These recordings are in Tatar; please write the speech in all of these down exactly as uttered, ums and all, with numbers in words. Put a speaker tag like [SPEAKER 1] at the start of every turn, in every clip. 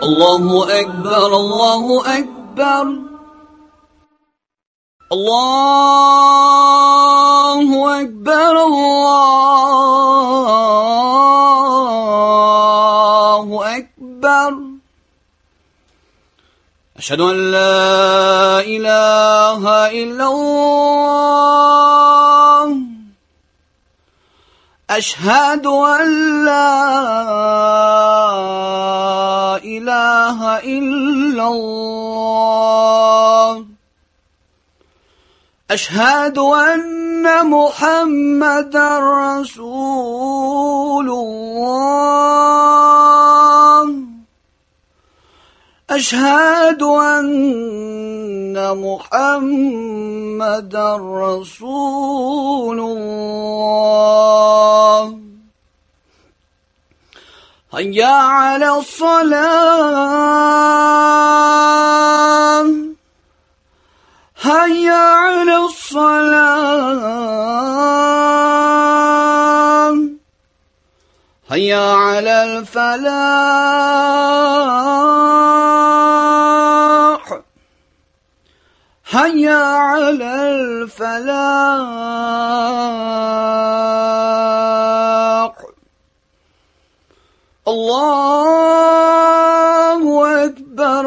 [SPEAKER 1] الله أكبر الله أكبر الله أكبر الله أكبر أشهد أن لا إله إلا الله أشهد أن لا إله إلا الله أشهد أن محمدا رسول الله أشهد أن محمدا رسول الله هيا على الصلاة هيا على الصلاة هيا على الفلاح هيا على الفلاح الله أكبر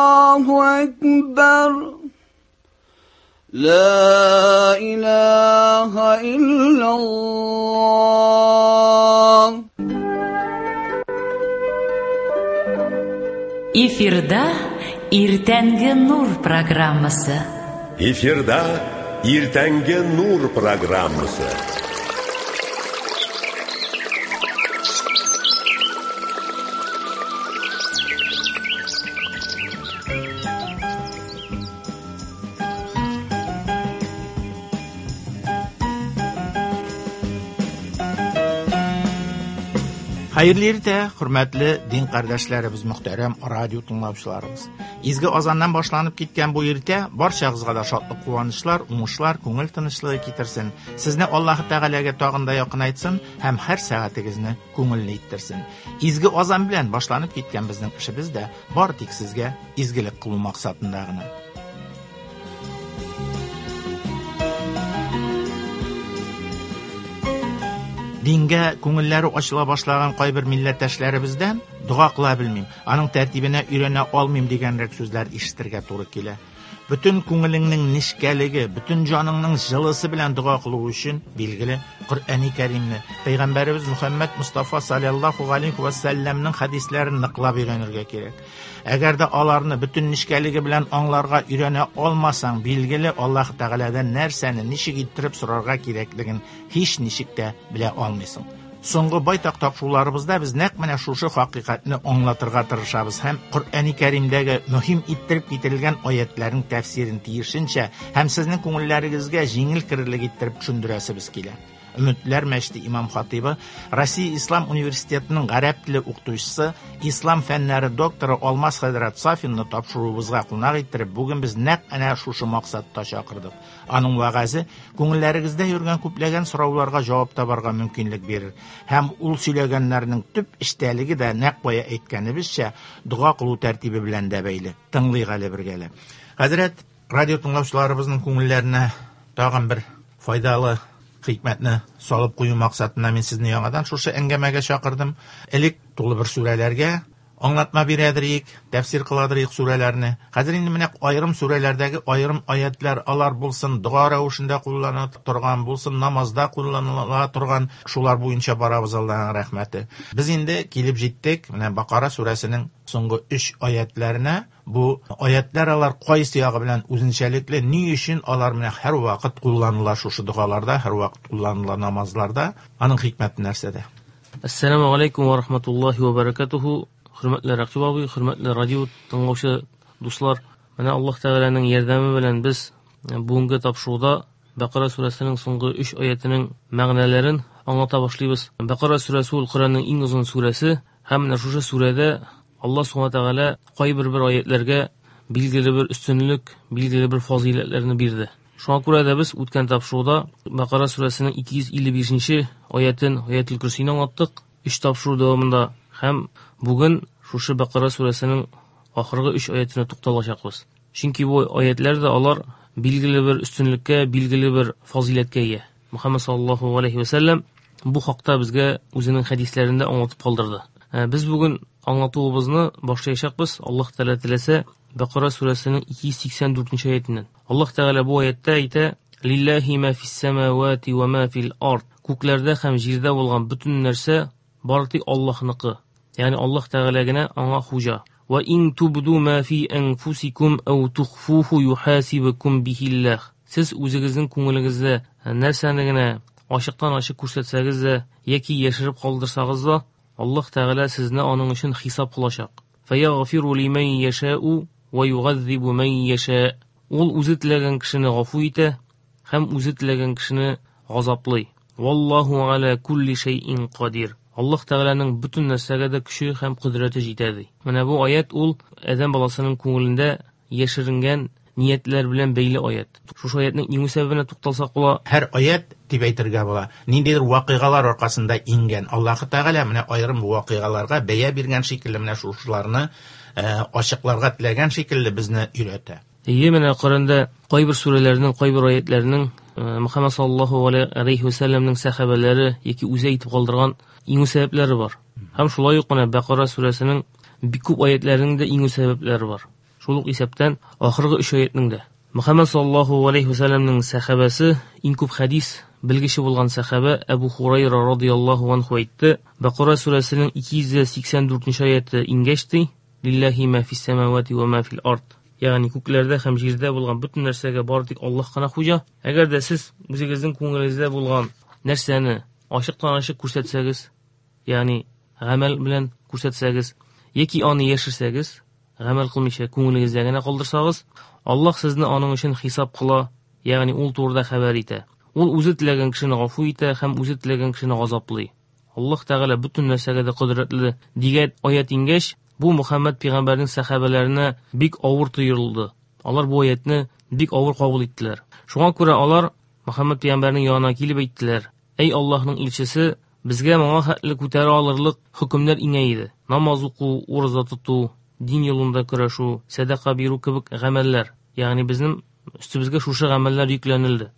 [SPEAKER 1] الله أكبر لا إله إلا الله.
[SPEAKER 2] Эфирда Иртәнге Нур программасы.
[SPEAKER 3] Эфирда Иртәнге Нур программасы.
[SPEAKER 4] Хәерле иртә, хөрмәтле дин кардәшләребез, мөхтәрәм радио тыңлаучыларыбыз. Изге азаннан башланып киткән бу иртә барчагызга да шатлык, куанычлар, уңышлар, күңел тынычлыгы китерсен. Сезне Аллаһ Тәгаләгә тагын да якынайтсын һәм һәр сәгатегезне күңелле иттерсен. Изге азан белән башланып киткән безнең эшебез дә бар тик сезгә изгелек кылу максатында гына. Дингә күңелләре ачыла башлаган кайбер милләттәшләребездән дога кыла белмим, аның тәртибенә өйрәнә алмыйм дигәнрәк сүзләр ишетергә туры килә. Бөтен күңелеңнең нечкәлеге, бөтен җаныңның җылысы белән дога кылу өчен, билгеле, Коръәни Кәримне, Пәйгамбәребез Мөхәммәд Мустафа саллаллаһу алейһи ва сәлләмнең хәдисләрен ныклап өйрәнергә кирәк. Әгәр дә аларны бөтен нечкәлеге белән аңларга өйрәнә алмасаң, билгеле, Аллаһ Тәгаләдән нәрсәне ничек иттереп сорарга кирәклеген һич ничек тә белә алмыйсың. Соңгы байтак тапшыруларыбызда без нәкъ менә шушы хакыйкатьне аңлатырга тырышабыз һәм Коръәни Кәримдәге мөһим иттереп китерелгән аятларның тәфсирен тиешенчә һәм сезнең күңелләрегезгә җиңел керерлек иттереп төшендерәсебез килә. Өметләр мәчете имам хатибы, Россия Ислам университетының гарәп теле укытучысы, ислам фәннәре докторы Алмаз хәзрәт Сафинны тапшыруыбызга кунак иттереп, бүген без нәкъ әнә шушы максатта чакырдык. Аның вәгазе күңелләрегездә йөргән күпләгән сорауларга җавап табарга мөмкинлек бирер. Һәм ул сөйләгәннәрнең төп эчтәлеге дә нәкъ бая әйткәнебезчә дога кылу тәртибе белән дә бәйле. Тыңлыйк әле бергәләп. Хәзрәт, радио тыңлаучыларыбызның күңелләренә тагын бер файдалы хикмәтне салып кую максатына мин сезне яңадан шушы әңгәмәгә чакырдым. Элек тулы бер сүрәләргә аңлатма бирәдер, тәфсир кыладыр сүрәләрне. Хәзер инде менә аерым сүрәләрдәге аерым аятлар, алар булсын дога рәвешендә кулланыла торган, булсын намазда кулланыла торган, шулар буенча барабыз, Аллаһның рәхмәте. Без инде килеп җиттек менә Бакара сүрәсенең соңгы өч аятларына. Бу аятлар алар кайсы ягы белән үзенчәлекле, ни өчен алар менә һәр вакыт кулланыла шушы догаларда, һәр вакыт кулланыла намазларда, аның хикмәте нәрсәдә?
[SPEAKER 5] Ассаламу алейкум ва рахматуллахи ва баракатуху. Хөрмәтле Рәкыйп абый, хөрмәтле радио тыңлаучы дуслар, менә Аллаһ Тәгаләнең ярдәме белән без бүгенге тапшыруда Бакара сүрәсенең соңгы өч аятының мәгънәләрен аңлата башлыйбыз. Бакара сүрәсе ул Коръәннең иң озын сүрәсе һәм менә шушы сүрәдә Аллаһ Субхана Тәгалә кайбер бер аятларга билгеле бер өстенлек, билгеле бер фазыйләтләрне бирде. Шуңа күрә дә без үткән тапшыруда Бакара сүрәсенең ике йөз илле бишенче аятын, Аятул Көрсине аңлаттык өч тапшыру дәвамында һәм бүген шушы Бакара сүрәсенең ахыргы өч аятына тукталачакбыз. Чөнки бу аятлар да алар билгеле бер өстенлеккә, билгеле бер фазыйләткә ия. Мөхәммәд саллаллаһу алейхи ва сәлләм бу хакта безгә үзенең хәдисләрендә аңлатып калдырды. Без бүген аңлатуыбызны башлаячакбыз. Аллаһ Тәгалә теләсә Бакара сүрәсенең ике йөз сиксән дүртенче аятеннән. Аллаһ Тәгалә бу аятта әйтә: Лиллаһи ма фис самавати ва ма фил ард. Күкләрдә һәм җирдә булган бөтен нәрсә бары тик Аллаһныкы. Ягъни Аллаһ Тәгалә генә аңа хуҗа. Ва ин тубду ма фи анфусикум ау тухфуху юхасибукум бихиллах. Сез үзегезнең күңелегездә нәрсәне генә ачыктан ачык күрсәтсәгез дә яки яшереп калдырсагыз да, Аллаһ Тәгалә сезне аның өчен хисап кылачак. Фаягфиру лиман яшау ва югаззибу ман яша. Ул үзе теләгән кешене гафу итә һәм үзе теләгән кешене газаплый. Валлаһу аля кулли шәйин кадир. Аллаһ Тәгаләнең бөтен нәрсәгә дә көче һәм кодрәте җитә ди. Менә бу аят ул адәм баласының күңелендә яшеренгән ниятләр белән бәйле аят. Шушы аятның иң сәбәбенә тукталсак була.
[SPEAKER 4] Һәр аят дип әйтергә була. Ниндидер вакыйгалар аркасында иңгән. Аллаһ Тәгалә менә аерым вакыйгаларга бәя биргән шикелле менә шушыларны ачыкларга теләгән шикелле безне өйрәтә.
[SPEAKER 5] Әйе, менә Коръәндә кайбер сүрәләрнең, кайбер аятларның Мөхәммәд саллаллаһу алейхи ва сәлләмнең сәхабәләре яки үзе әйтеп калдырган иң сәбәпләре бар. Һәм шулай ук менә Бакара сүрәсенең бик күп аятларының да иң сәбәпләре бар. Шул ук исәптән ахыргы өч аятның да. Мөхәммәд саллаллаһу алейхи ва сәлләмнең сәхабәсе, иң күп хәдис белгече булган сәхабә Әбу Хурайра радияллаһу анху әйтте: Бакара сүрәсенең ике йөз сиксән дүртенче аяты иңгәч ди, Лиллаһи ма фис самавати ва ма фил ард. Ягъни күкләрдә һәм җирдә булган бөтен нәрсәгә бары тик Аллаһ кына хуҗа. Әгәр дә сез үзегезнең күңелегездә булган нәрсәне ачыктан ачык күрсәтсәгез, ягъни гамәл белән күрсәтсәгез, яки аны яшерсәгез, гамәл кылмыйча күңелегездә генә калдырсагыз, Аллаһ сезне аның өчен хисап кыла, ягъни ул турыда хәбәр итә. Ул үзе теләгән кешене гафу итә һәм үзе теләгән кешене газаплый. Аллаһ Тәгалә бөтен нәрсәгә дә кодрәтле дигән аят иңгәч, бу Мөхәммәд пәйгамбәрнең сәхабәләренә бик авыр тоелды. Алар бу аятны бик авыр кабул иттеләр. Шуңа күрә алар Мөхәммәд пәйгамбәрнең янына килеп әйттеләр: Әй Аллаһның илчесе, безгә моңа хәтле күтәрә алырлык хөкемнәр иңә иде. Намаз уку, ураза тоту, дин юлында көрәшү, сәдака бирү кебек гамәлләр. Ягъни безнең өстебезгә шушы гамәлләр йөкләнелде.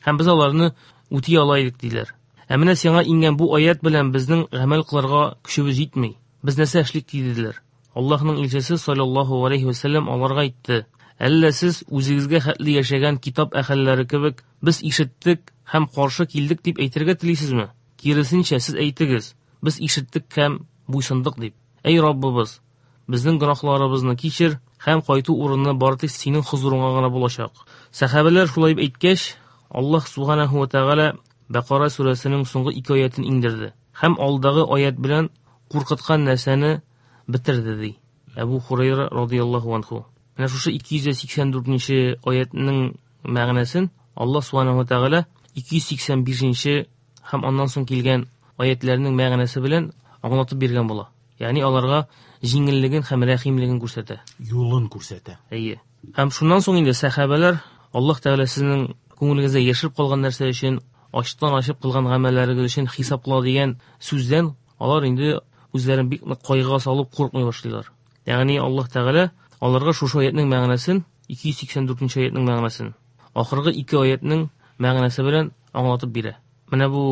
[SPEAKER 5] Һәм без аларны үти ала идек диләр. Ә менә сиңа иңгән бу аят белән безнең гамәл кылырга көчебез җитми. Без нәрсә эшлик диделәр. Аллаһның илчесе саллаллаһу алейхи ва сәлләм аларга әйтте: Әллә сез үзегезгә хәтле яшәгән китап әһелләре кебек без ишеттек һәм каршы килдек дип әйтергә телисезме? Киресенчә, сез әйтегез: без ишеттек һәм буйсындык дип. Әй Раббыбыз, безнең гөнаһларыбызны кичер һәм кайту урыны бары тик синең хозурыңа гына булачак. Сәхабәләр шулай дип әйткәч, Аллаһ субханаһу ва тәгалә Бакара сүрәсенең соңгы ике аятын иңдерде һәм алдагы аят белән куркыткан нәрсәне бетерде ди. Әбу Хурайра радияллаһу анху. Менә шушы ике йөз сиксән дүртенче аятның мәгънәсен Аллаһ субханаһу ва тәгалә ике йөз сиксән бишенче һәм аннан соң килгән аятларның мәгънәсе белән аңлатып биргән була. Ягъни аларга җиңеллеген һәм рәхимлеген күрсәтә.
[SPEAKER 4] Юлын күрсәтә.
[SPEAKER 5] Әйе. Һәм шуннан соң инде сәхабәләр Аллаһ Тәгалә сезнең күңелегездә яшереп калган нәрсә өчен, ачтан ачып кылган гамәлләрегез өчен хисап кыла дигән сүздән алар инде үзләрен бик нык кайгыга салып куркмый башлыйлар. Ягъни Аллаһ Тәгалә аларга шушы аятның мәгънәсен, ике йөз сиксән дүртенче аятның мәгънәсен, ахыргы ике аятның мәгънәсе белән аңлатып бирә. Менә бу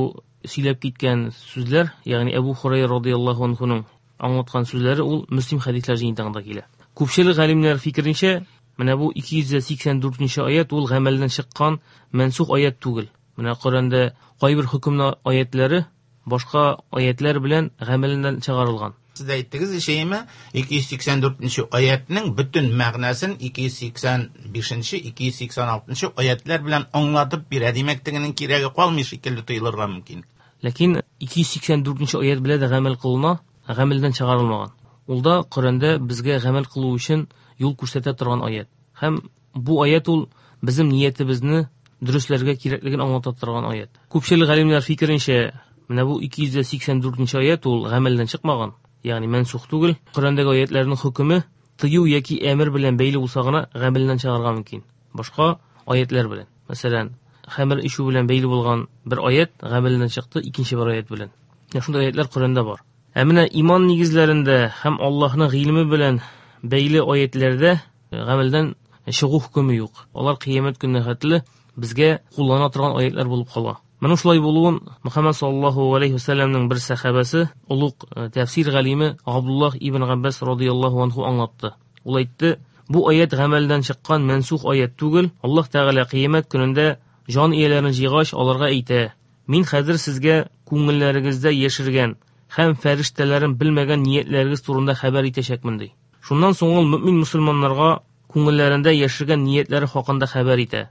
[SPEAKER 5] сөйләп киткән сүзләр, ягъни Әбу Хурайра радияллаһу анһуның аңлаткан сүзләре ул Мөслим хәдисләр җыентыгында килә. Күпчелек галимнәр фикеренчә, менә бу ике йөз сиксән дүртенче аят ул гамәлдән чыккан мансух аят түгел. Менә Коръәндә кайбер хөкемле аятлары башка аятлар белән гамәлдән чыгарылган.
[SPEAKER 4] Сез әйттегез ишәйме, ике йөз сиксән дүртенче аятның бөтен мәгънәсен ике йөз сиксән бишенче, ике йөз сиксән алтынчы аятлар белән аңлатып бирә. Димәк, тегенең кирәге калмый шикелле тоелырга мөмкин.
[SPEAKER 5] Ләкин ике йөз сиксән дүртенче аят белән дә гамәл кылына, гамәлдән чыгарылмаган. Ул да Коръәндә безгә гамәл кылу өчен юл күрсәтә торган аят. Һәм бу аят ул безнең ниятебезне дөресләргә кирәклеген аңлата торган аят. Күпчелек галимнәр фикеренчә, менә бу ике йөз сиксән дүртенче аят ул гамәлдән чыкмаган, ягъни мансух түгел. Коръәндәге аятларның хөкеме тыю яки әмер белән бәйле булса гына гамәлдән чыгарга мөмкин. Башка аятлар белән. Мәсәлән, хәмер эчү белән бәйле булган бер аят гамәлдән чыкты икенче бер аят белән. Менә шундый аятлар Коръәндә бар. Ә менә иман нигезләрендә һәм Аллаһның гыйлеме белән бәйле аятларда гамәлдән чыгу хөкеме юк. Алар кыямәт көненә хәтле безгә куллана торган аятлар булып кала. Моның шулай булуын Мөхәммәд саллаллаһу алейхи ва сәлләмнең бер сәхабәсе, олуг тәфсир галиме Абдуллаһ ибн Габбас радияллаһу анһу аңлатты. Ул әйтте: бу аят гамәлдән чыккан мансух аят түгел. Аллаһ Тәгалә кыямәт көнендә җан ияләрен җыйгач, аларга әйтә: мин хәзер сезгә күңелләрегездә яшергән һәм фәрештәләрен белмәгән ниятләрегез турында хәбәр итәчәкмен, ди. Шуннан соң ул мөмин мусульманнарга күңелләрендә яшергән ниятләре хакында хәбәр итә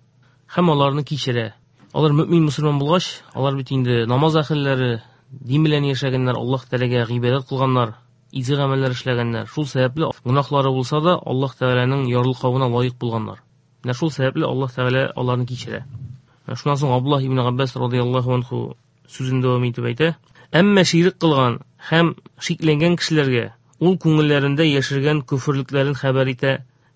[SPEAKER 5] һәм аларны кичерә. Алар мөмин мусульман булгач, алар бит инде намаз әһелләре, дин белән яшәгәннәр, Аллаһ Тәгаләгә гыйбадәт кылганнар, изге гамәлләр эшләгәннәр. Шул сәбәпле гөнаһлары булса да, Аллаһ Тәгаләнең ярлыкавына лаек булганнар. Менә шул сәбәпле Аллаһ Тәгалә аларны кичерә. Шуннан соң Абдуллаһ ибн Габбас радияллаһу анһу сүзен дәвам итеп әйтә: әмма ширк кылган һәм шикләнгән кешеләргә ул күңелләрендә яшергән күферлекләрен хәбәр итә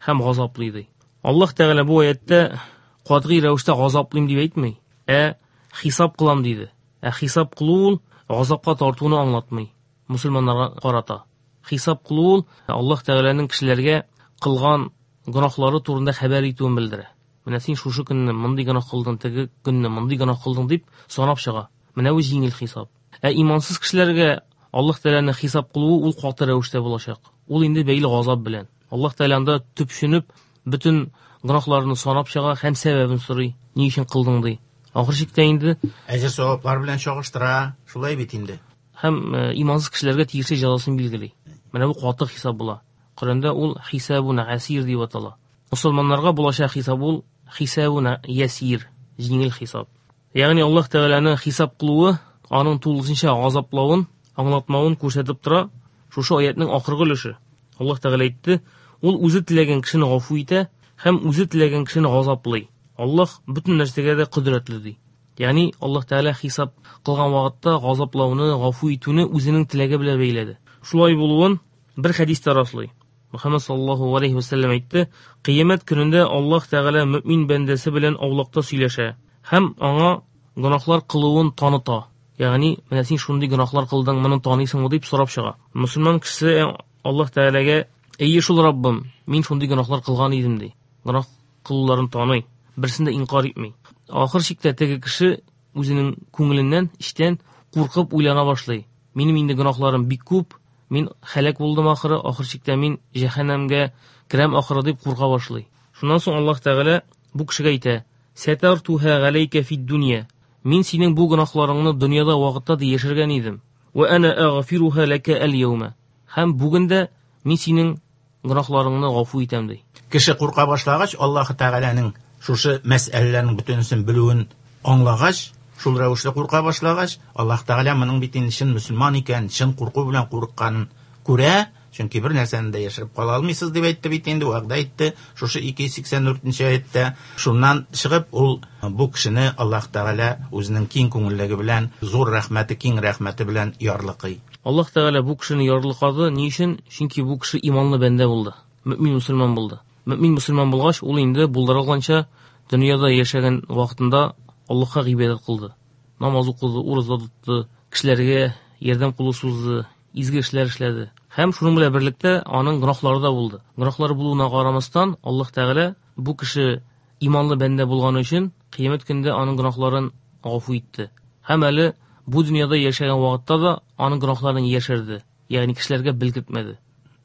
[SPEAKER 5] һәм газаплый, ди. Аллаһ Тәгалә бу аятта катгый рәвештә газаплыйм дип әйтми, ә хисап кылам диде. Ә хисап кылу ул газапка тартуны аңлатмый мусульманнарга карата. Хисап кылу ул Аллаһ Тәгаләнең кешеләргә кылган гөнаһлары турында хәбәр итүен белдерә. Менә син шушы көнне мондый гөнаһ кылдың, теге көнне мондый гөнаһ кылдың дип санап чыга. Менә бу җиңел хисап. Ә имансыз кешеләргә Аллаһ Тәгаләнең хисап кылуы ул каты рәвештә булачак. Ул инде бәйле газап белән. Аллаһ Тәгалә анда төпченеп бөтен гөнаһларны санап чыга һәм сәбәбен сорый. Ни өчен кылдың ди. Ахыр чиктә инде
[SPEAKER 4] әҗер саваплар белән чагыштыра, шулай бит инде.
[SPEAKER 5] Һәм имансыз кешеләргә тиешле җәзасын билгели. Менә бу каты хисап була. Коръәндә ул хисабун асир дип атала. Мусульманнарга булачак хисап ул хисабун ясир, җиңел хисап. Ягъни Аллаһ Тәгаләнең хисап кылуы аның тулысынча газаплавын, аңлатмавын күрсәтеп тора. Шушы аятның ахыргы өлеше. Аллаһ Тәгалә әйтте: ул үзе теләгән кешене гафу итә һәм үзе теләгән кешене газаплый. Аллаһ бөтен нәрсәгә дә кодрәтле, ди. Ягъни Аллаһ Тәгалә хисап кылган вакытта газаплауны, гафу итүне үзенең теләге белән бәйләде. Шулай булуын бер хәдистә раслый. Мөхәммәд саллаллаһу алейхи ва сәлләм әйтте: кыямәт көнендә Аллаһ Тәгалә мөмин бәндәсе белән аулакта сөйләшә һәм аңа гөнаһлар кылуын таныта. Ягъни, менә син шундый гөнаһлар кылдың, моны таныйсыңмы дип сорап чыга. Мусульман кешесе Аллаһ Тәгаләгә: "Әйе шул Раббым, мин шундый гөнаһлар кылган идем" ди. Гөнаһ кылуларын таный, берсен дә инкар итми. Ахыр чиктә теге кеше үзенең күңеленнән, эчтән куркып уйлана башлый. Минем инде гөнаһларым бик күп, мин һәлак булдым ахыры, ахыр чиктә мин җәһәннәмгә керәм ахыры дип курка башлый. Шуннан соң Аллаһ Тәгалә бу кешегә әйтә: "Сәтартуһа галәйкә фид дөнья. Мин синең бу гөнаһларыңны дөньяда вакытта да яшергән идем. Ва ана агфируһа лака аль-яума. Һәм бүген дә мин синең гөнаһларыңны гафу итәм" ди.
[SPEAKER 4] Кеше курка башлагач, Аллаһ Тәгаләнең шушы мәсьәләләрнең бөтенесен белүен аңлагач, шул рәвешле курка башлагач, Аллаһ Тәгалә моның бит инде чын мөселман икән, чын курку белән курыкканын күрә, чөнки бер нәрсәне дә яшереп кала алмыйсыз дип әйтте бит инде, вәгъдә итте шушы ике йөз сиксән дүртенче аятта. Шуннан чыгып ул бу кешене Аллаһ Тәгалә үзенең киң күңеллеге белән, зур рәхмәте, киң рәхмәте белән ярлыкый.
[SPEAKER 5] Аллаһ Тәгалә бу кешене ярлыкады. Ни өчен? Чөнки бу кеше иманлы бәндә булды, мөмин мусульман булды. Мөмин мусульман булгач, ул инде булдырылганча дөньяда яшәгән вакытында Аллаһка гыйбадәт кылды. Намаз укыды, ураза тотты, кешеләргә ярдәм кулы сузды, изге эшләр эшләде. Һәм шуның белән берлектә аның гөнаһлары да булды. Гөнаһлары булуына карамастан, Аллаһ Тәгалә бу кеше иманлы бәндә булганы өчен кыямәт көндә аның гөнаһларын гафу итте. Һәм әле бу дөньяда яшәгән вакытта да аның гөнаһларын яшерде, ягъни кешеләргә белгертмәде.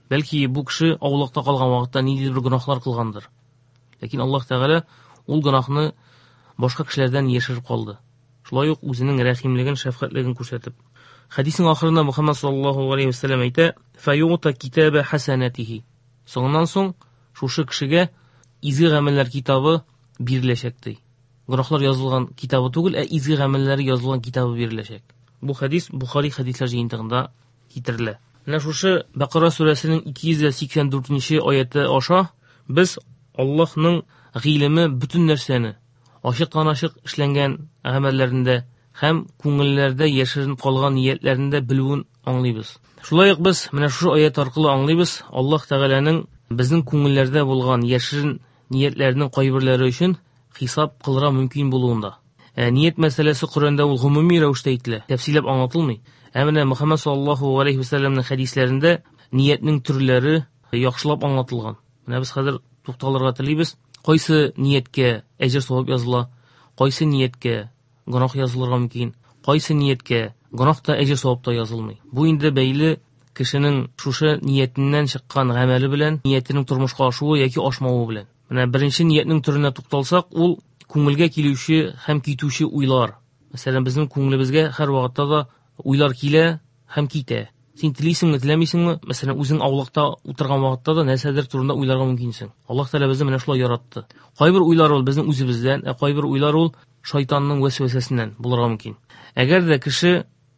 [SPEAKER 5] Бәлки бу кеше аулакта калган вакытта ниндидер бер гөнаһлар кылгандыр. Ләкин Аллаһ Тәгалә ул гөнаһны башка кешеләрдән яшереп калды. Шулай ук үзенең рәхимлеген, шәфкатьлеген күрсәтеп. Хәдиснең ахырында Мөхәммәд саллаллаһу алейхи ва сәлләм әйтә: "Фаюта китаба хасанатихи." Соңыннан соң шушы кешегә изге гамәлләр китабы биреләчәк ди. Гөнаһлар язылган китабы түгел, ә изге гамәлләре язылган китабы биреләчәк. Бу хәдис Бухари хәдисләр җыентыгында китерелә. Менә шушы Бакара сүрәсенең ике йөз сиксән дүртенче аяты аша без Аллаһның гыйлеме бөтен нәрсәне ачыктан-ачык эшләнгән гамәлләрендә һәм күңелләрдә яшерен калган ниятләрендә белүен аңлыйбыз. Шулай ук без менә шушы аят аркылы аңлыйбыз, Аллаһ Тәгаләнең безнең күңелләрдә булган яшерен ниятләрнең кайберләре өчен хисап кылырга мөмкин булуында. Ә ният мәсьәләсе Коръәндә ул гомуми рәвештә әйтелә, тәфсилләп аңлатылмый. Ә менә Мөхәммәд саллаллаһу алейһи ва сәлләмнең хәдисләрендә ниятнең төрләре яхшылап аңлатылган. Менә без хәзер тукталырга телибез. Кайсы нияткә әҗер савап языла, кайсы нияткә гөнаһ язылырга мөмкин, кайсы нияткә гөнаһ та әҗер савап та язылмый. Бу инде бәйле кешенең шушы ниятеннән чыккан гамәле белән, ниятенең тормышка ашуы яки ашмавы белән. Менә беренче ниятнең төренә тукталсак, ул күңелгә килүче һәм китүче уйлар. Мәсәлән, безнең күңелебезгә һәр вакытта да уйлар килә һәм китә. Син телисеңме, теләмисеңме? Мәсәлән, үзең аулакта утырган вакытта да нәрсәдер турында уйларга мөмкинсең. Аллаһ Тәгалә безне менә шулай яратты. Кайбер уйлар ул безнең үзебездән, ә кайбер уйлар ул шайтанның вәсвәсәсеннән булырга мөмкин. Әгәр дә кеше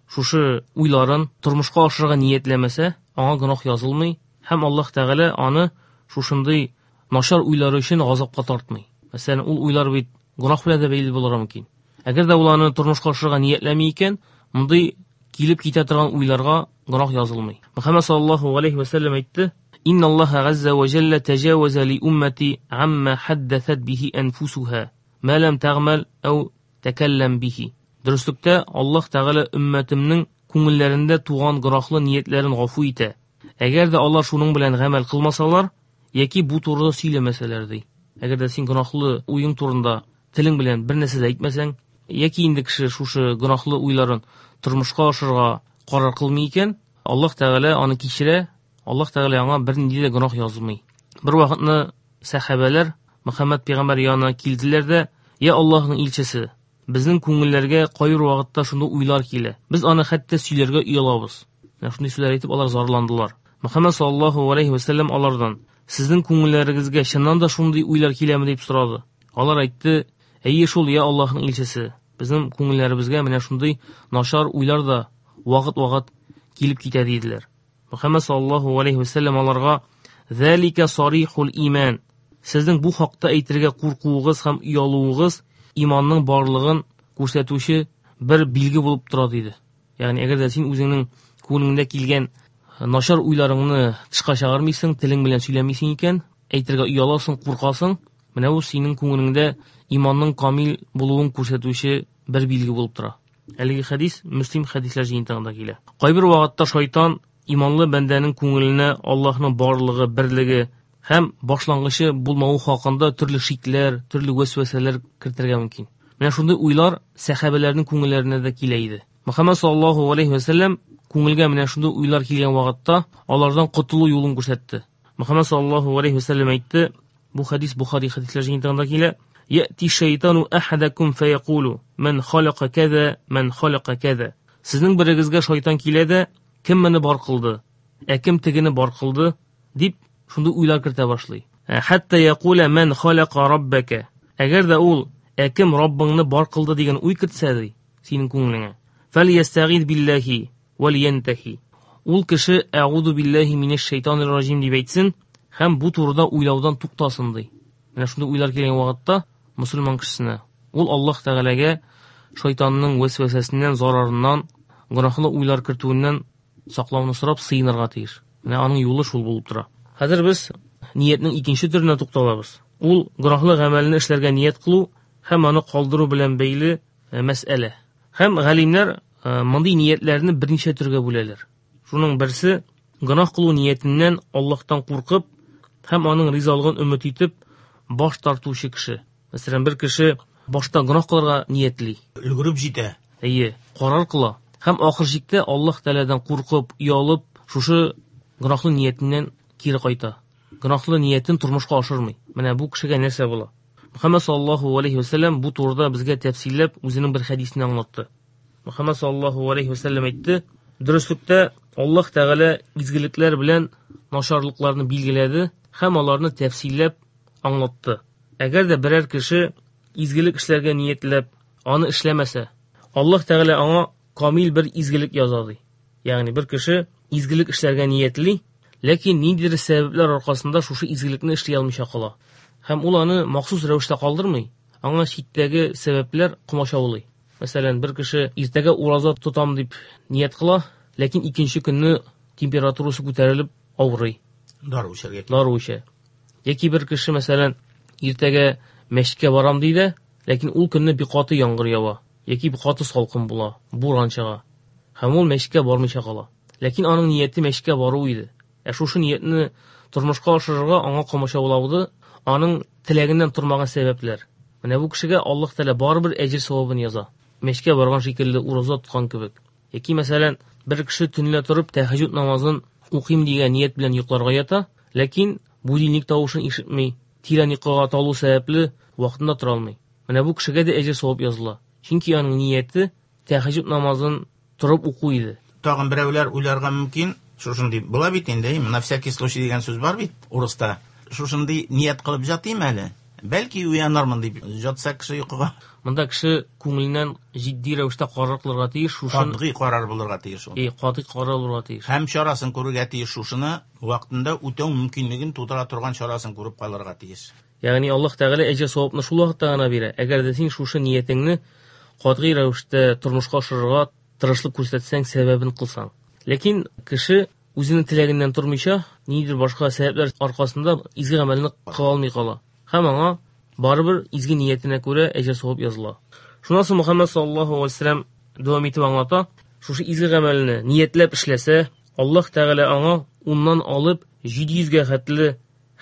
[SPEAKER 5] шушы уйларын тормышка ашырырга ниятләмәсә, аңа гөнаһ язылмый һәм Аллаһ Тәгалә аны шушындый начар уйлары өчен газапка тартмый. Мәсәлән, ул уйлар бит гөнаһ белән дә бәйле булырга мөмкин. Әгәр дә ул аны тормышка ашырырга ниятләми икән, мондый килеп китә торган уйларга гөнаһ язылмый. Мөхәммәд саллаллаһу алейһи ва сәлләм әйтте: "Инна Аллаһа газза ва җалла таҗаваза ли уммати амма хаддасат бихи анфусуха, ма лам тагмал ау такаллам бихи." Дөреслектә Аллаһ Тәгалә өммәтемнең күңелләрендә туган гөнаһлы ниятләрен гафу итә. Әгәр дә алар шуның белән гамәл кылмасалар яки бу турыда сөйләмәсәләр ди. Әгәр дә син гөнаһлы уең турында телең белән бер нәрсә дә әйтмәсәң, яки инде кеше шушы гөнаһлы уйларын тормышка ашырырга карар кылмый икән, Аллаһ Тәгалә аны кичерә, Аллаһ Тәгалә аңа бернинди дә гөнаһ язмый. Бер вакытны сәхабәләр Мөхәммәд пәйгамбәр янына килделәр дә: "Я Аллаһның илчесе, безнең күңелләргә кайбер вакытта шундый уйлар килә. Без аны хәтта сөйләргә оялабыз." Менә шундый сүзләр әйтеп алар зарландылар. Мөхәммәд саллаллаһу алейһи ва сәлләм алардан: "Сезнең күңелләрегезгә чыннан да шундый уйлар киләме?" дип сорады. Алар әйтте: "Әйе шул, я Аллаһның илчесе. Безнең күңелләребезгә менә шундый начар уйлар да вакыт-вакыт килеп китә" диделәр. Мөхәммәд саллаллаһу алейһи ва сәлләм аларга: "Залика сарихул иман. Сезнең бу хакта әйтергә куркуыгыз һәм оялуыгыз иманның барлыгын күрсәтүче бер билге булып тора" диде. Ягъни әгәр дә син үзеңнең күңелеңдә килгән начар уйларыңны тышка чыгармыйсың, телең белән сөйләмисең икән, әйтергә ояласың, куркасың, менә бу синең күңелеңдә иманның камил булуын күрсәтүче бер билге булып тора. Әлеге хәдис Мөслим хәдисләр җыентыгында килә. Кайбер вакытта шайтан иманлы бәндәнең күңеленә Аллаһның барлыгы, берлеге һәм башлангычы булмавы хакында төрле шикләр, төрле вәсвәсәләр кертергә мөмкин. Менә шундый уйлар сәхабәләрнең күңелләренә дә килә иде. Мөхәммәд саллаллаһу алейһи ва сәлләм күңелгә менә шундый уйлар килгән вакытта алардан котылу юлын күрсәтте. Мөхәммәд саллаллаһу алейһи ва сәлләм әйтте, бу хәдис Бухари хәдисләр җыентыгында килә: "Яти шайтану ахадакум фаякулу ман халака каза, ман халака каза." Сезнең берегезгә шайтан килә дә, кем моны бар кылды, ә кем тегене бар кылды дип шундый уйлар кертә башлый. Хәтта якула ман халака раббака. Әгәр дә ул ә кем Раббыңны бар кылды дигән уй кертсә ди синең күңелеңә, фәльястагиз биллаһи вәльянтахи. Ул кеше әгуду биллаһи минәш шайтанир раҗим дип әйтсен һәм бу турыда уйлаудан туктасын ди. Менә шундый уйлар килгән вакытта мусульман кешесенә ул Аллаһ Тәгаләгә шайтанның вәсвәсәсеннән, зарарыннан, гөнаһлы уйлар кертүеннән саклауны сорап сыенырга тиеш. Менә аның юлы шул булып тора. Хәзер без ниятнең икенче төренә тукталабыз. Ул гөнаһлы гамәлне эшләргә ният кылу һәм аны калдыру белән бәйле мәсьәлә. Һәм галимнәр мондый ниятләрне берничә төргә бүләләр. Шуның берсе гөнаһ кылу ниятеннән Аллаһтан куркып һәм аның ризалыгын өмет итеп баш тартучы кеше. Мәсәлән, бер кеше башта гөнаһ кылырга ниятли,
[SPEAKER 4] өлгереп җитә.
[SPEAKER 5] Әйе, карар кыла һәм ахыр чиктә Аллаһ Тәгаләдән куркып, оялып, шушы гөнаһлы ниятеннән кире кайта. Гөнаһлы ниятен тормышка ашырмый. Менә бу кешегә нәрсә була? Мөхәммәд саллаллаһу алейһи ва сәлләм бу турыда безгә тәфсилләп үзенең бер хәдисен аңлатты. Мөхәммәд саллаллаһу алейһи ва сәлләм әйтте: "Дөреслектә Аллаһ Тәгалә изгелекләр белән начарлыкларны билгеләде һәм аларны тәфсилләп аңлатты. Әгәр дә берәр кеше изгелек эшләргә ниятләп, аны эшләмәсә, Аллаһ Тәгалә аңа камил бер изгелек яза ди. Ягъни бер кеше изгелек эшләргә ниятли, ләкин ниндидер сәбәпләр аркасында шушы изгелекне эшли алмыйча кала. Һәм ул аны махсус рәвештә калдырмый, аңа читтәге сәбәпләр комачаулый. Мәсәлән, бер кеше иртәгә ураза тотам дип ният кыла, ләкин икенче көнне температурасы күтәрелеп авырый.
[SPEAKER 4] Дару эчәргә.
[SPEAKER 5] Дару эчә. Яки бер кеше, мәсәлән, иртәгә мәчеткә барам ди дә, ләкин ул көнне бик каты яңгыр ява, яки бик каты салкын була, буран чыга. Һәм ул мәчеткә бармыйча кала. Ләкин аның нияте мәчеткә бару иде. Ә шушы ниятне тормышка ашырырга аңа комачаулауды аның теләгеннән тормаган сәбәпләр. Менә бу кешегә Аллаһ Тәгалә барыбер әҗер савабын яза. Мәчеткә барган шикелле ураза тоткан кебек. Яки мәсәлән, бер кеше төнлә торып тәһәҗҗүд намазын укыйм дигән ният белән йокларга ята, ләкин будильник тавышын ишетми, тирән йокыга талу сәбәпле вакытында тора алмый. Менә бу кешегә дә әҗер савап языла. Чөнки аның нияте тәһәҗҗүд намазын торып уку иде.
[SPEAKER 4] Тагын берәүләр уйларга мөмкин, шушындый була бит инде, на всякий случай дигән сүз бар бит урыста. Шушындый ният кылып жатыйм әле, бәлки уянармын дип жатса кеше йокыга.
[SPEAKER 5] Монда кеше күңеленнән җитди рәвештә карар кылырга тиеш, шушын
[SPEAKER 4] катгый карар булырга тиеш ул.
[SPEAKER 5] Э, катгый карар булырга тиеш.
[SPEAKER 4] Һәм чарасын күрергә тиеш, шушыны вакытында үтәү мөмкинлеген тудыра торган чарасын күреп калырга тиеш.
[SPEAKER 5] Ягъни Аллаһ Тәгалә әҗер савапны шул вакытта гына бирә. Әгәр дә син шушы ниятеңне катгый рәвештә тормышка ашырырга тырышлык күрсәтсәң, сәбәбен кылсаң. Ләкин кеше үзенең теләгеннән тормыйча, ниндидер башка сәбәпләр аркасында изге гамәлне кыла алмый кала. Һәм аңа барыбер изге ниятенә күрә әҗер савап языла. Шуннан соң Мөхәммәд саллаллаһу алейһи ва сәлләм дәвам итеп аңлата, шушы изге гамәлне ниятләп эшләсә, Аллаһ Тәгалә аңа уннан алып җиде йөзгә хәтле,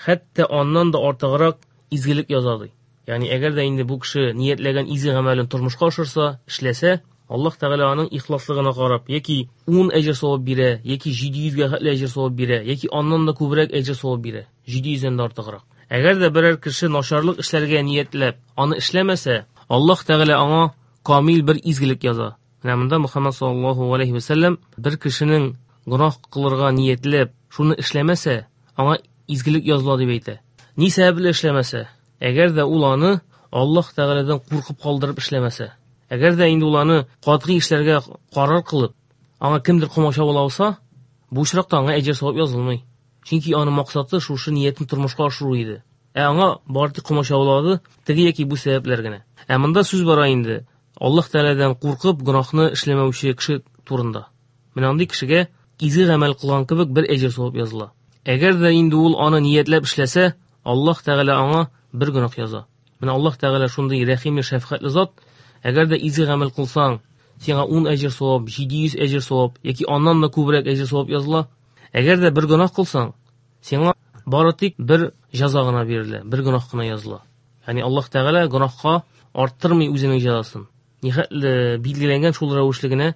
[SPEAKER 5] хәтта аннан да артыграк изгелек яза ди. Ягъни әгәр дә инде бу кеше ниятләгән изге гамәлен тормышка ашырса, эшләсә, Аллаһ Тәгалә аның ихласлыгына карап, яки ун әҗер савап бирә, яки җиде йөзгә хәтле әҗер савап бирә, яки аннан да күбрәк әҗер савап бирә, җиде йөздән дә артыграк. Әгәр дә берәр кеше начарлык эшләргә ниятләп, аны эшләмәсә, Аллаһ Тәгалә аңа камил бер изгелек яза. Менә монда Мөхәммәд саллаллаһу алейһи ва сәлләм бер кешенең гөнаһ кылырга ниятләп, шуны эшләмәсә, аңа изгелек языла дип әйтә. Ни сәбәпле эшләмәсә? Әгәр дә ул аны Аллаһ Тәгаләдән куркып калдырып эшләмәсә. Әгәр дә инде ул аны катгый эшләргә карар кылып, аңа кемдер комачаулап алса, бу очракта аңа әҗер савап язылмый. Чөнки аның максаты шушы ниятен тормышка ашыру иде. Ә аңа бары тик комачаулады теге яки бу сәбәпләр генә. Ә монда сүз бара инде Аллаһ Тәгаләдән куркып гөнаһны эшләмәүче кеше турында. Менә андый кешегә изге гамәл кылган кебек бер әҗер савап языла. Әгәр дә инде ул аны ниятләп эшләсә, Аллаһ Тәгалә аңа бер гөнаһ яза. Менә Аллаһ Тәгалә шундый рәхимле, шәфкатьле зат. Әгәр дә изге гамәл кылсаң, сиңа ун әҗер савап, җиде йөз әҗер савап яки аннан да күбрәк әҗер савап языла. Әгәр дә бер гөнаһ кылсаң, сиңа бары тик бер җәза гына бирелә, бер гөнаһ кына языла. Ягъни Аллаһ Тәгалә гөнаһка арттырмый үзенең җәзасын. Нихәтле билгеләнгән шул рәвешле генә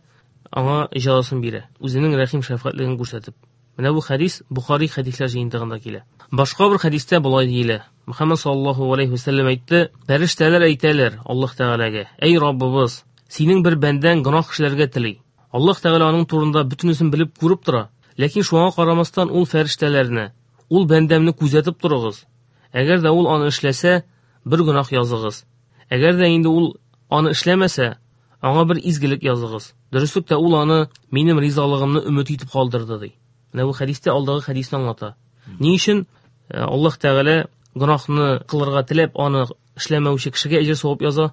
[SPEAKER 5] аңа җәзасын бирә, үзенең рәхим шәфкатьлеген күрсәтеп. Менә бу хәдис Бухари хәдисләр җыентыгында килә. Башка бер хәдистә болай диелә. Мөхәммәд саллаллаһу алейһи ва сәлләм әйтте: "Фәрештәләр әйтәләр Аллаһ Тәгаләгә: Әй Раббыбыз, синең бер бәндәң гөнаһ эшләргә тели. Аллаһ Тәгалә аның турында бөтенесен белеп күреп тора. Ләкин шуңа карамастан ул фәрештәләрне, ул бәндәмне күзәтеп торыгыз. Әгәр дә ул аны эшләсә, бер гөнаһ языгыз. Әгәр дә инде ул аны эшләмәсә, аңа бер изгелек языгыз. Дөреслектә ул аны минем ризалыгымны өмет итеп калдырды", ди. Менә бу хәдистә алдагы хәдисне аңлата. Ни өчен Аллаһ Тәгалә гөнаһны кылырга теләп аны эшләмәүче кешегә әҗер савап яза?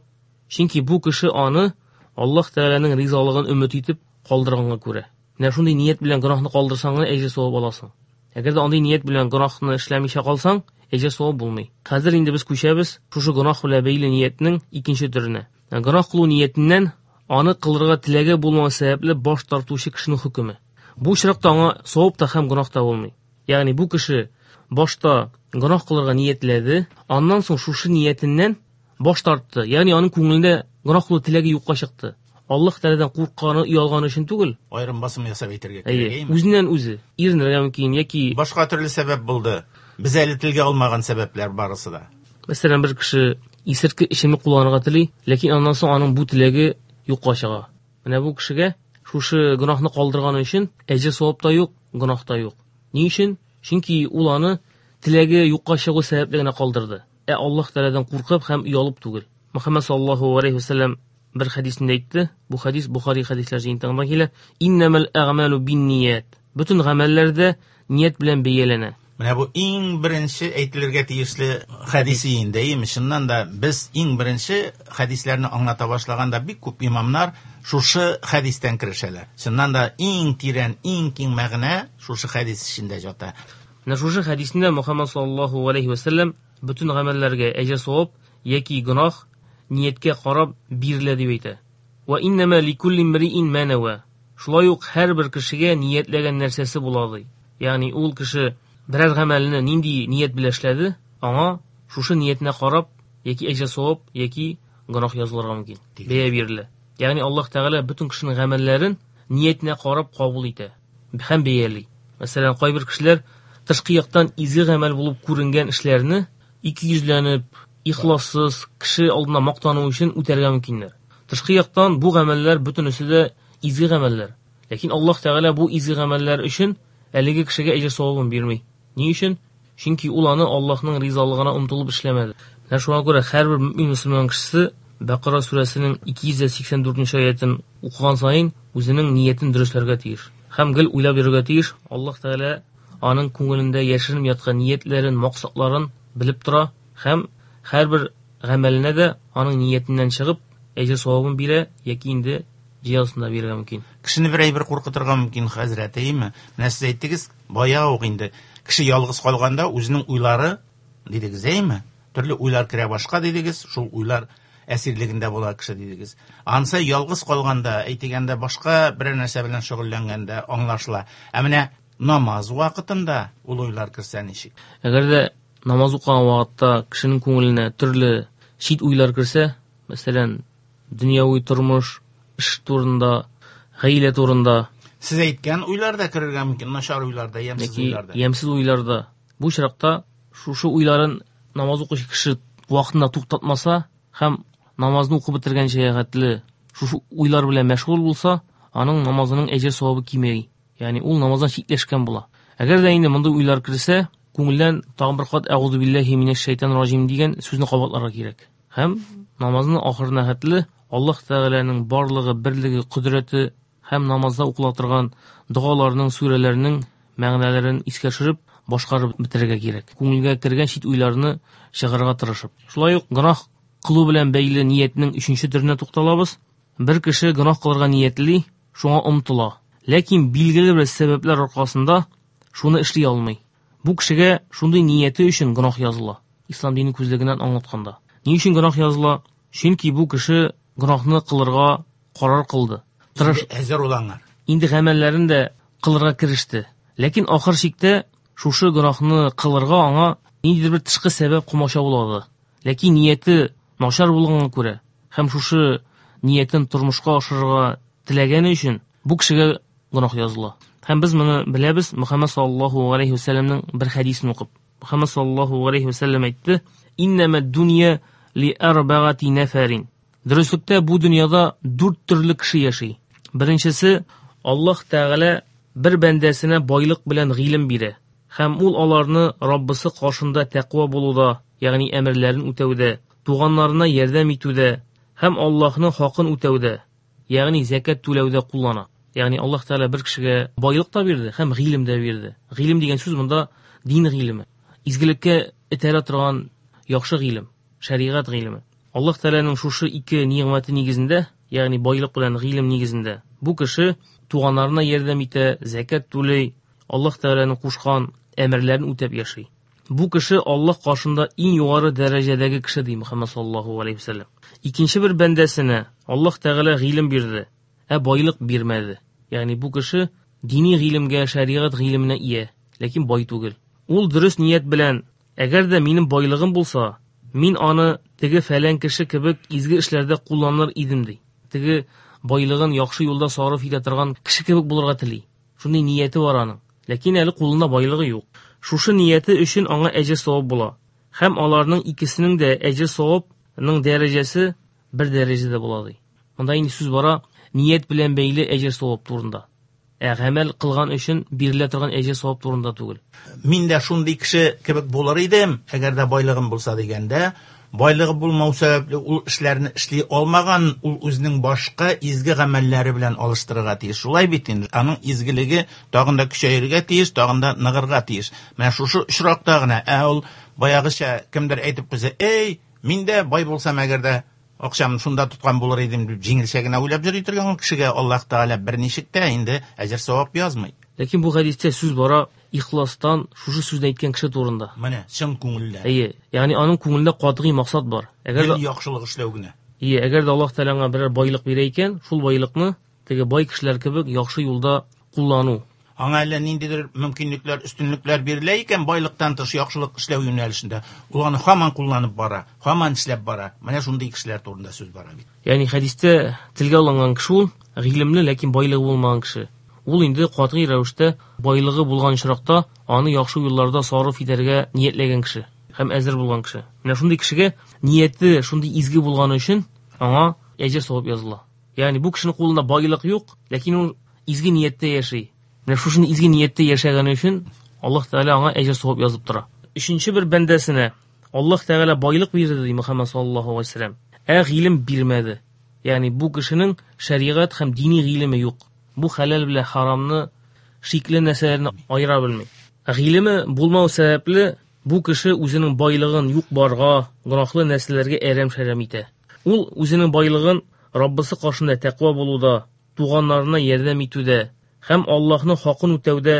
[SPEAKER 5] Чөнки бу кеше аны Аллаһ Тәгаләнең ризалыгын өмет итеп калдырганга күрә. Менә шундый ният белән гөнаһны калдырсаң гына әҗер савап аласың. Әгәр дә андый ният белән гөнаһны эшләмичә калсаң, әҗер савап булмый. Хәзер инде без күчәбез шушы гөнаһ белән бәйле ниятнең икенче төренә. Гөнаһ кылу ниятеннән аны кылырга теләге булмау сәбәпле баш тартучы кешенең хөкеме. Бу очракта аңа савап та һәм гөнаһ та булмый. Ягъни бу кеше башта гөнаһ кылырга ниятләде, аннан соң шушы ниятеннән баш тартты. Ягъни аның күңелендә гөнаһ кылу теләге юкка чыкты. Аллаһ Тәгаләдән куркканы, оялганы өчен түгел.
[SPEAKER 4] Аерым басым ясап әйтергә
[SPEAKER 5] Әйе,
[SPEAKER 4] кирәк, әйеме?
[SPEAKER 5] Үзеннән үзе иренергә мөмкин яки
[SPEAKER 4] башка төрле сәбәп булды. Без әле телгә алмаган сәбәпләр барысы да.
[SPEAKER 5] Мәсәлән, бер кеше исертке эчемлек кулланырга тели, ләкин аннан соң аның бу теләге юкка чыга. Менә бу кешегә шушы гөнаһны калдырганы өчен әҗер савап та юк, гөнаһ та юк. Ни өчен? Чөнки ул аны теләге юкка чыгу сәбәпле генә калдырды. Ә Аллаһ Тәгаләдән куркып һәм оялып түгел. Мөхәммәд саллаллаһу алейһи ва сәлләм бер хәдисендә әйтте. Бу хәдис Бухари хәдисләр җыентыгында килә. Иннәмәл әгъмалу бинният. Бөтен гамәлләр дә ният белән бәяләнә.
[SPEAKER 4] Менә бу иң беренче әйтелергә тиешле хәдисе инде, әйеме? Чыннан да без иң беренче хәдисләрне аңлата башлаганда бик күп имамнар шушы хәдистән керешәләр. Чыннан да иң тирән, иң киң мәгънә шушы хәдис эчендә ята.
[SPEAKER 5] Менә шушы хәдисендә Мөхәммәд саллаллаһу алейһи ва сәлләм бөтен гамәлләргә әҗер савап яки гөнаһ нияткә карап бирелә дип әйтә. Ва иннама ликулли имриин ма нава. Шулай ук һәрбер кешегә ниятләгән нәрсәсе була ди. Ягъни ул кеше берәр гамәлне нинди ният белән эшләде, аңа шушы ниятенә карап яки әҗер савап, яки гөнаһ язылырга мөмкин. Бәя бирелә. Ягъни Аллаһ Тәгалә бөтен кешенең гамәлләрен ниятенә карап кабул итә һәм бәяли. Мәсәлән, кайбер кешеләр тышкы яктан изге гамәл булып күренгән эшләрне ике йөзләнеп, ихлассыз, кеше алдында мактану өчен үтәргә мөмкиннәр. Тышкы яктан бу гамәлләр бөтенесе дә изге гамәлләр. Ләкин Аллаһ Тәгалә бу изге гамәлләр өчен әлеге кешегә әҗер савабын бирми. Ни өчен? Чөнки ул аны Аллаһның ризалыгына омтылып эшләмәде. Менә шуңа күрә һәрбер мөмин мөселман кешесе Бакара сүрәсенең ике йөз сиксән дүртенче аятын укыган саен үзенең ниятен дөресләргә тиеш. Һәм гел уйлап йөрергә тиеш. Аллаһ Тәгалә аның күңелендә яшеренеп яткан ниятләрен, максатларын белеп тора һәм һәрбер гамәленә дә аның ниятеннән чыгып әҗер савабын бирә яки инде җәзасын да бирергә мөмкин.
[SPEAKER 4] Кешене бер әйбер куркытырга мөмкин, хәзрәт, әйеме? Менә сез әйттегез, бая ук инде кеше ялгыз калганда үзенең уйлары дидегез, әйеме? Төрле уйлар керә башка дидегез, шул уйлар әсирлегендә була кеше дидегез. Ансы ялгыз калганда, әйтегәндә башка берәр нәрсә белән шөгыльләнгәндә аңлашыла. Ә менә намаз вакытында ул уйлар керсә ничек?
[SPEAKER 5] Әгәр дә намаз укыган вакытта кешенең күңеленә төрле чит уйлар керсә, мәсәлән, дөньяви тормыш, эш турында, гаилә турында,
[SPEAKER 4] Сез әйткән уйлар да керергә мөмкин, начар уйлар да, ямьсез
[SPEAKER 5] яки
[SPEAKER 4] уйлар да.
[SPEAKER 5] ямьсез уйлар да. Бу очракта шушы уйларын намаз укучы кеше вакытында туктатмаса һәм намазны укып бетергәнчә хәтле шушы уйлар белән мәшгуль булса, аның намазының әҗер савабы кимей. Ягъни ул намаздан читләшкән була. Әгәр дә инде мондый уйлар керсә, күңелдән тагын бер кат әгъузу биллаһи минәш шайтанир раҗим дигән сүзне кабатларга кирәк. Һәм намазны ахырына хәтле Аллаһ Тәгаләнең барлыгы, берлеге, кодрәте һәм намазда укыла торган догаларның, сүрәләрнең мәгънәләрен искә төшереп, башкарып бетерергә кирәк. Күңелгә кергән чит уйларны чыгарырга тырышып. Шулай ук гөнаһ кылу белән бәйле ниятнең өченче төренә тукталабыз. Бер кеше гөнаһ кылырга ниятли, шуңа омтыла. Ләкин билгеле бер сәбәпләр аркасында шуны эшли алмый. Бу кешегә шундый нияте өчен гөнаһ языла. Ислам дине күзлегеннән аңлатканда. Ни өчен гөнаһ языла? Чөнки бу кеше гөнаһны кылырга карар кылды. Тырыш
[SPEAKER 4] Әзер улаңар.
[SPEAKER 5] Инде гамәлләрен дә кылырга кереште. Ләкин ахыр чиктә шушы гөнаһны кылырга аңа ниндидер бер тышкы сәбәп комачаулады. Ләкин нияте начар булганга күрә һәм шушы ниятен тормышка ашырырга теләгәне өчен бу кешегә гөнаһ языла. Һәм без моны беләбез Мөхәммәд саллаллаһу алейхи ва сәлләмнең бер хәдисен укып. Мөхәммәд саллаллаһу алейхи ва сәлләм әйтте: Иннәмә дөнья ли арбагати нафарин. Дөреслектә бу дөньяда дүрт төрле кеше яши. Беренчесе, Аллаһ Тәгалә бер бәндәсенә байлык белән гыйлем бирә һәм ул аларны Раббысы каршында тәкъва булуда, ягъни әмерләрен үтәүдә, туганнарына ярдәм итүдә һәм Аллаһның хакын үтәүдә, ягъни зәкят түләүдә куллана. Ягъни Аллаһ Тәгалә бер кешегә байлык та бирде һәм гыйлем дә бирде. Гыйлем дигән сүз монда дин гыйлеме, изгелеккә этәрә торган яхшы гыйлем, шәригать гыйлеме. Аллаһ Тәгаләнең шушы ике нигъмәте нигезендә, ягъни байлык белән гыйлем нигезендә, бу кеше туганнарына ярдәм итә, зәкят түли, Аллаһ Тәгаләнең кушкан әмерләрен үтәп яши. Бу кеше Аллаһ каршында иң югары дәрәҗәдәге кеше ди Мөхәммәд саллаллаһу алейхи ва сәлләм. Икенче бер бәндәсенә Аллаһ Тәгалә гыйлем бирде, ә байлык бирмәде. Ягъни бу кеше дини гыйлемгә, шәригать гыйлеменә ия, ләкин бай түгел. Ул дөрес ният белән, әгәр дә минем байлыгым булса, мин аны теге фәлән кеше кебек изге эшләрдә кулланыр идем ди. Теге байлыгын яхшы юлда сарыф итә торган кеше кебек булырга тели. Шундый нияте бар аның. Ләкин әле кулында байлыгы юк. Шушы нияте өчен аңа әҗер савап була. Һәм аларның икесенең дә әҗер савапның дәрәҗәсе бер дәрәҗәдә була ди. Монда инде сүз бара ният белән бәйле әҗер савап турында. Ә гамәл кылган өчен бирелә торган әҗер савап турында түгел.
[SPEAKER 4] Мин дә шундый кеше кебек булыр идем, әгәр дә байлыгым булса дигәндә, байлыгы булмау сәбәпле ул эшләрне эшли алмаган, ул үзенең башка изге гамәлләре белән алыштырырга тиеш. Шулай бит инде, аның изгелеге тагын да көчәергә тиеш, тагын да ныгырга тиеш. Менә шушы очракта гына, ә ул баягыча кемдер әйтеп куйса, эй, мин дә бай булсам әгәр дә акчамны шунда тоткан булыр идем дип җиңелчә генә уйлап йөри торган кешегә Аллаһ Тәгалә берничек тә инде әҗер савап язмый.
[SPEAKER 5] Ләкин бу хәдистә сүз бара ихластан шушы сүзне әйткән кеше турында.
[SPEAKER 4] Менә чын күңелдән.
[SPEAKER 5] Әйе, ягъни аның күңелендә катгый максат бар.
[SPEAKER 4] Әгәр дә яхшылык эшләү генә.
[SPEAKER 5] Әйе, әгәр дә Аллаһ Тәгалә аңа берәр байлык бирә икән, шул байлыкны теге бай кешеләр кебек яхшы юлда куллану.
[SPEAKER 4] Аңа әллә ниндидер мөмкинлекләр, өстенлекләр бирелә икән байлыктан тыш яхшылык эшләү юнәлешендә, ул аны һаман кулланып бара, һаман эшләп бара. Менә шундый кешеләр турында сүз бара бит.
[SPEAKER 5] Ягъни хәдистә телгә алынган кеше ул гыйлемле, ләкин байлыгы булмаган кеше. Ул инде катгый рәвештә байлыгы булган очракта аны яхшы юлларда сарыф итәргә ниятләгән кеше һәм әзер булган кеше. Менә шундый кешегә нияте шундый изге булганы өчен аңа әҗер савап языла. Ягъни бу кешенең кулында байлык юк, ләкин ул изге нияттә яши. Менә шушы изге нияттә яшәгәне өчен Аллаһ Тәгалә аңа әҗер савап язып тора. Өченче бер бәндәсенә Аллаһ Тәгалә байлык бирде ди Мөхәммәд саллаллаһу алейһи ва сәлләм. Ә гыйлем бирмәде. Ягъни бу кешенең шәригать һәм дини гыйлеме юк. Бу хәләл белән харамны, шикле нәрсәләрне аера белми. Гыйлеме булмау сәбәпле бу кеше үзенең байлыгын юк барга, гөнаһлы нәрсәләргә әрәм-шәрәм итә. Ул үзенең байлыгын Раббысы каршында тәкъва булуда, туганнарына ярдәм итүдә һәм Аллаһның хакын үтәүдә,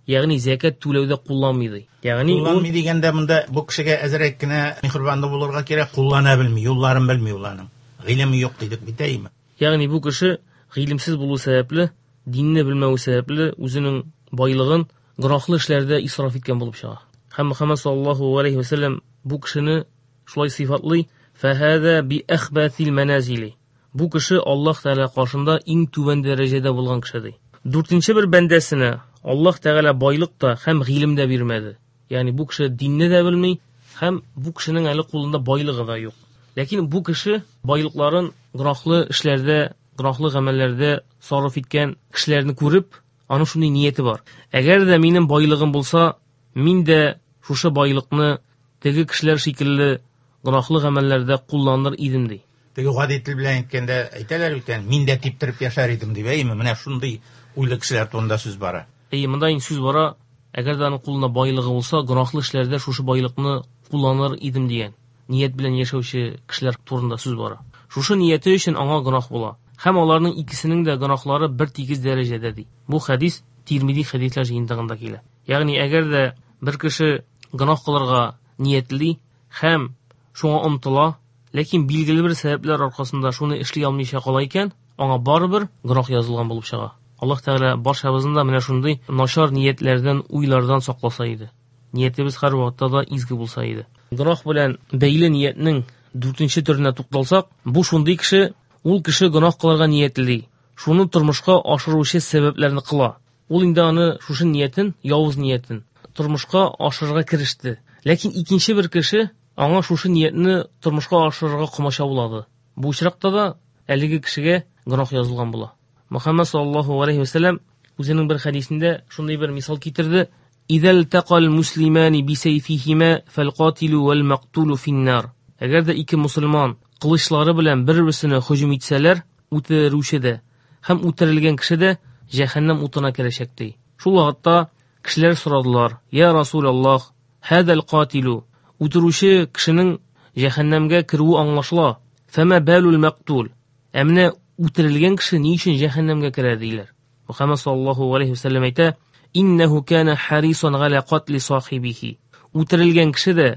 [SPEAKER 5] ягъни зәкят түләүдә кулланмый ди. Ягъни
[SPEAKER 4] кулланмый дигәндә монда бу кешегә әзрәк кенә миһербанлы булырга кирәк, куллана белми, юлларын белми ул аның. Гыйлеме юк дидек бит, әйме?
[SPEAKER 5] Ягъни бу кеше гыйлемсез булу сәбәпле, динне белмәү сәбәпле үзенең байлыгын гөнаһлы эшләрдә исраф иткән булып чыга. Һәм Мөхәммәд саллаллаһу алейһи ва сәлләм бу кешене шулай сыйфатлый: "Фәһәзә би әхбәсил мәназили". Бу кеше Аллаһ Тәгалә каршында иң түбән дәрәҗәдә булган кеше ди. Дүртенче бер бәндәсенә Аллаһ Тәгалә байлык та һәм гыйлем дә бирмәде. Ягъни бу кеше динне дә белми һәм бу кешенең әле кулында байлыгы да юк. Ләкин бу кеше байлыкларын гөнаһлы эшләрдә, гөнаһлы гамәлләрдә сарыф иткән кешеләрне күреп, аның шундый нияте бар. Әгәр дә минем байлыгым булса, мин дә шушы байлыкны теге кешеләр шикелле гөнаһлы гамәлләрдә кулланыр идем ди.
[SPEAKER 4] Теге гади тел белән әйткәндә әйтәләр бит, мин дә типтереп яшәр идем дип, әйме? Менә шундый уйлы кешеләр турында сүз бара.
[SPEAKER 5] Әйе, монда инде сүз бара, әгәр дә аның кулында байлыгы булса, гөнаһлы эшләрдә шушы байлыкны кулланыр идем дигән ният белән яшәүче кешеләр турында сүз бара. Шушы нияте өчен аңа гөнаһ була. Һәм аларның икесенең дә гөнаһлары бер тигез дәрәҗәдә ди. Бу хәдис Тирмизи хәдисләр җыентыгында килә. Ягъни әгәр дә бер кеше гөнаһ кылырга ниятли һәм шуңа омтыла, ләкин билгеле бер сәбәпләр аркасында шуны эшли алмыйча кала икән, аңа барыбер гөнаһ язылган булып чыга. Аллаһ Тәгалә барчабызны да менә шундый начар ниятләрдән, уйлардан сакласа иде. Ниятебез һәр вакытта да изге булса иде. Гөнаһ белән бәйле ниятнең дүртенче төренә тукталсак, бу шундый кеше, ул кеше гөнаһ кылырга ниятли, шуны тормышка ашыручы сәбәпләрне кыла. Ул инде аны шушы ниятен, явыз ниятен тормышка ашырырга кереште. Ләкин икенче бер кеше аңа шушы ниятне тормышка ашырырга комачаулады. Бу очракта да әлеге кешегә гөнаһ язылган була. Мөхәммәд саллаллаһу алейһи ва сәлләм үзенең бер хәдисендә шундый бер мисал китерде: "Идәл тақал муслимани бисәйфихима фалқатилу вал мақтулу финнар". Әгәр дә ике мусульман кылычлары белән бер-берсенә һөҗүм итсәләр, үтерүче дә һәм үтерелгән кеше дә җәһәннәм утына керәчәк ди. Шул вакытта кешеләр сорадылар: "Я Расулаллаһ, хадал катилу?" Үтерүче кешенең җәһәннәмгә керүе аңлашыла. Фәмә балул мақтул? Ә менә үтерелгән кеше ни өчен җәһәннәмгә керә диләр. Мөхәммәд саллаллаһу алейһи ва сәлләм әйтә: "Иннәһу кана харисан галя катли сахибихи". Үтерелгән кеше дә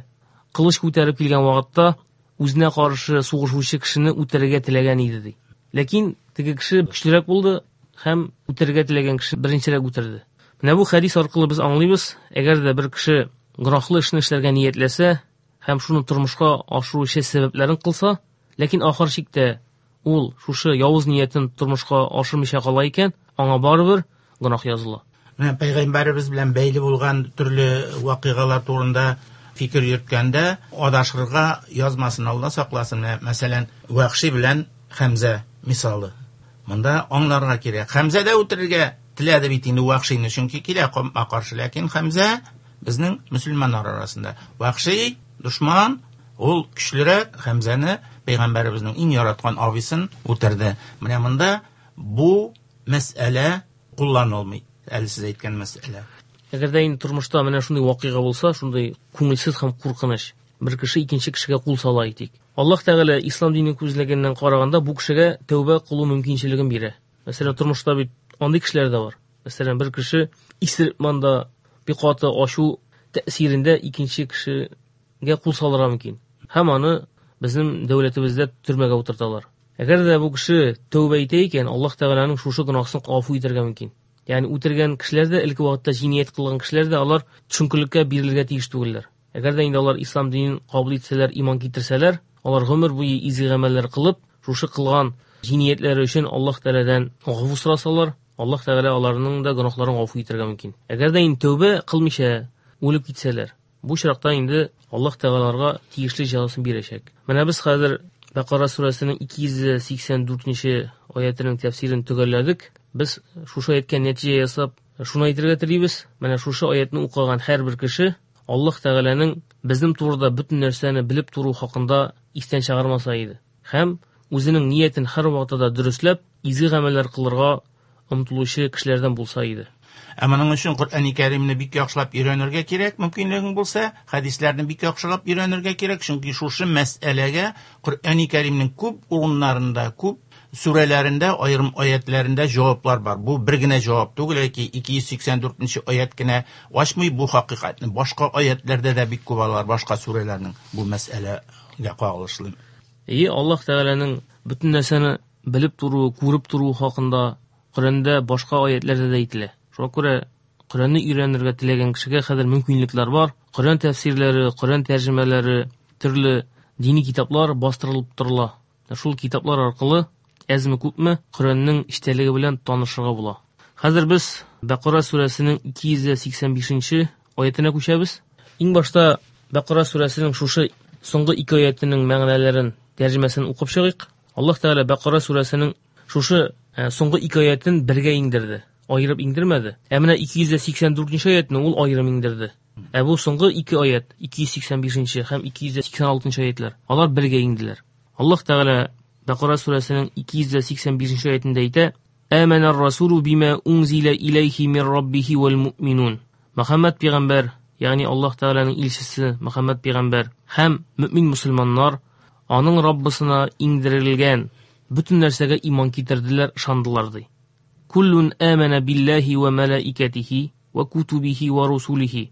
[SPEAKER 5] кылыч күтәреп килгән вакытта үзенә каршы сугышучы кешене үтерергә теләгән иде ди. Ләкин теге кеше көчлерәк булды һәм үтерергә теләгән кеше беренчерәк үтерде. Менә бу хәдис аркылы без аңлыйбыз, әгәр дә бер кеше гөнаһлы эшне эшләргә ниятләсә һәм шуны тормышка ашыру сәбәпләрен кылса, ләкин ахыр чиктә ул шушы явыз ниятен тормышка ашырмыйча кала икән, аңа барыбер гөнаһ языла.
[SPEAKER 4] Менә пәйгамбәребез белән бәйле булган төрле вакыйгалар турында фикер йөрткәндә адашырга язмасын, Алла сакласын. Мәсәлән, Вахши белән Хәмзә мисалы. Монда аңларга кирәк. Хәмзә дә үтерергә теләде бит инде Вахшины, чөнки килә каршы, ләкин Хәмзә безнең мөселманнар арасында. Вахши дошман, ул көчлерәк, Хәмзәне пәйгамбәребезнең иң яраткан абыйсын үтерде. Менә монда бу мәсьәлә кулланылмый. Әле сез әйткән мәсьәлә.
[SPEAKER 5] Әгәр дә инде тормышта менә шундый вакыйга булса, шундый күңелсез һәм куркыныч, бер кеше икенче кешегә кул сала әйтик. Аллаһ Тәгалә ислам динен күзлегеннән караганда бу кешегә тәүбә кылу мөмкинчелеген бирә. Мәсәлән, тормышта бит андый кешеләр дә бар. Мәсәлән, бер кеше исереп монда бик каты ашу тәэсирендә икенче кешегә кул салырга мөмкин. Һәм аны безнең дәүләтебездә төрмәгә утырталар. Әгәр дә бу кеше тәүбә итә икән, Аллаһ Тәгаләнең шушы гөнаһын гафу итәргә мөмкин. Ягъни үтергән кешеләр дә, элек вакытта җинаять кылган кешеләр дә алар төшенкелеккә бирелергә тиеш түгелләр. Әгәр дә инде алар ислам динен кабул итсәләр, иман китерсәләр, алар гомер буе изге гамәлләр кылып, шушы кылган җинаятьләре өчен Аллаһ Тәгаләдән гафу сорасалар, Аллаһ Тәгалә аларның да гөнаһларын гафу итәргә мөмкин. Әгәр дә инде тәүбә кылмыйча үлеп китсәләр, бу очракта инде Аллаһ Тәгалә аларга тиешле җәзасын бирәчәк. Менә без хәзер Бәкара сүрәсенең ике йөз сиксән дүртенче аятының тәфсирен төгәлләдек. Без шушы аяткә нәтиҗә ясап, шуны әйтергә телибез. Менә шушы аятны укыган һәрбер кеше Аллаһ Тәгаләнең безнең турыда бөтен нәрсәне белеп тору хакында истән чыгармаса иде. Һәм үзенең ниятен һәр вакытта да дөресләп, изге гамәлләр кылырга омтылучы кешеләрдән булса иде.
[SPEAKER 4] Ә моның өчен Коръәни Кәримне бик яхшылап өйрәнергә кирәк, мөмкинлегең булса, хәдисләрне бик яхшылап өйрәнергә кирәк, чөнки шушы мәсьәләгә Коръәни Кәримнең күп урыннарында, күп сүрәләрендә, аерым аятларында җаваплар бар. Бу бер генә җавап түгел, яки ике йөз сиксән дүртенче аят кенә ачмый бу хакыйкатьне. Башка аятларда да бик күп алар, башка сүрәләрнең бу мәсьәләгә кагылышлы.
[SPEAKER 5] Ие, Аллаһ Тәгаләнең бөтен нәрсәне белеп торуы, күреп торуы хакында Коръәндә башка аятларда да әйтелә. Шуңа күрә Коръәнне өйрәнергә теләгән кешегә хәзер мөмкинлекләр бар. Коръән тәфсирләре, Коръән тәрҗемәләре, төрле дини китаплар бастырылып торыла. Шул китаплар аркылы әзме күпме Коръәннең эчтәлеге белән танышырга була. Хәзер без Бәкара сүрәсенең ике йөз сиксән бишенче аятына күчәбез. Иң башта Бәкара сүрәсенең шушы соңгы ике аятының мәгънәләрен, тәрҗемәсен укып чыгыйк. Аллаһ Тәгалә Бәкара сүрәсенең шушы соңгы ике аятын бергә иңдерде. Айырып иңдермәде. Ә менә ике йөз сиксән дүртенче аятны ул айырым иңдерде. Ә бу соңгы ике аят, ике йөз сиксән бишенче һәм ике йөз сиксән алтынчы аятлар, алар бергә иңделәр. Аллаһ Тәгалә Бәкара сүрәсенең ике йөз сиксән бишенче аятында әйтә: Амана ар-расулу бима унзила илайхи мин раббихи вал муъминун. Мөхәммәд пәйгамбәр, ягъни Аллаһ Тәгаләнең илчесе Мөхәммәд пәйгамбәр һәм мөмин мөселманнар аның Раббысына иңдерелгән бөтен нәрсәгә иман китерделәр, ышандылар ди. Куллун амана биллаһи ва малаикатихи ва кутубихи ва русулихи.